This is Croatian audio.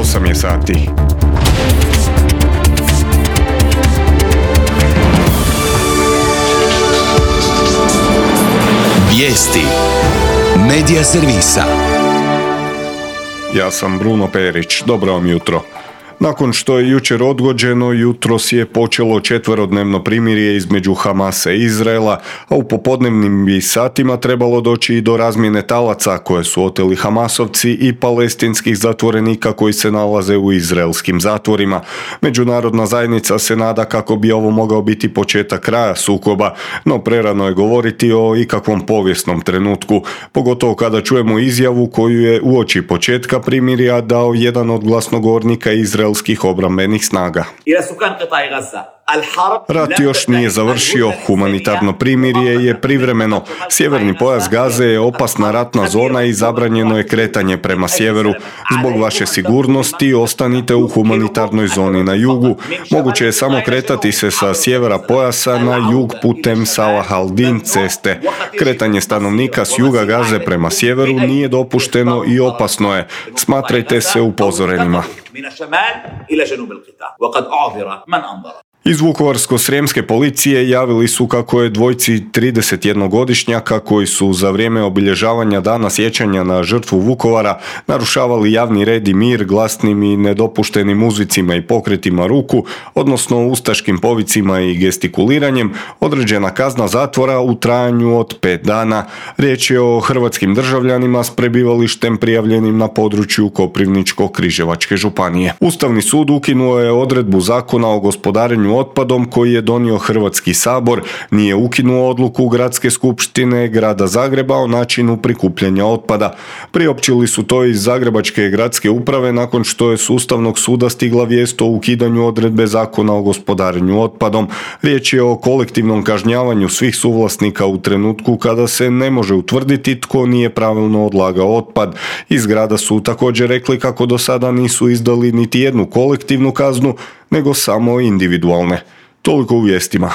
8 je sati. Vijesti Medija servisa. Ja sam Bruno Perić. Dobro vam jutro. Nakon što je jučer odgođeno, jutros je počelo 4-dnevno primirje između Hamasa i Izraela, a u popodnevnim bi satima trebalo doći i do razmjene talaca koje su oteli Hamasovci i palestinskih zatvorenika koji se nalaze u izraelskim zatvorima. Međunarodna zajednica se nada kako bi ovo mogao biti početak kraja sukoba, no prerano je govoriti o ikakvom povijesnom trenutku, pogotovo kada čujemo izjavu koju je uoči početka primirja dao jedan od glasnogovornika izraelskih obrambenih snaga. Rat još nije završio, humanitarno primirje je privremeno. Sjeverni pojas Gaze je opasna ratna zona i zabranjeno je kretanje prema sjeveru. Zbog vaše sigurnosti ostanite u humanitarnoj zoni na jugu. Moguće je samo kretati se sa sjevera pojasa na jug putem Salah al-Din ceste. Kretanje stanovnika s juga Gaze prema sjeveru nije dopušteno i opasno je. Smatrajte se upozorenima. Iz Vukovarsko-srijemske policije javili su kako je dvojci 31-godišnjaka koji su za vrijeme obilježavanja dana sjećanja na žrtvu Vukovara narušavali javni red i mir glasnim i nedopuštenim uzvicima i pokretima ruku, odnosno ustaškim povicima i gestikuliranjem, određena kazna zatvora u trajanju od 5 dana. Riječ je o hrvatskim državljanima s prebivalištem prijavljenim na području Koprivničko-križevačke županije. Ustavni sud ukinuo je odredbu Zakona o gospodarenju otpadom koji je donio Hrvatski sabor, nije ukinuo odluku Gradske skupštine Grada Zagreba o načinu prikupljanja otpada. Priopćili su to iz Zagrebačke gradske uprave nakon što je s Ustavnog suda stigla vijest o ukidanju odredbe Zakona o gospodarenju otpadom. Riječ je o kolektivnom kažnjavanju svih suvlasnika u trenutku kada se ne može utvrditi tko nije pravilno odlagao otpad. Iz grada su također rekli kako do sada nisu izdali niti jednu kolektivnu kaznu, nego samo individualne. Toliko u vijestima.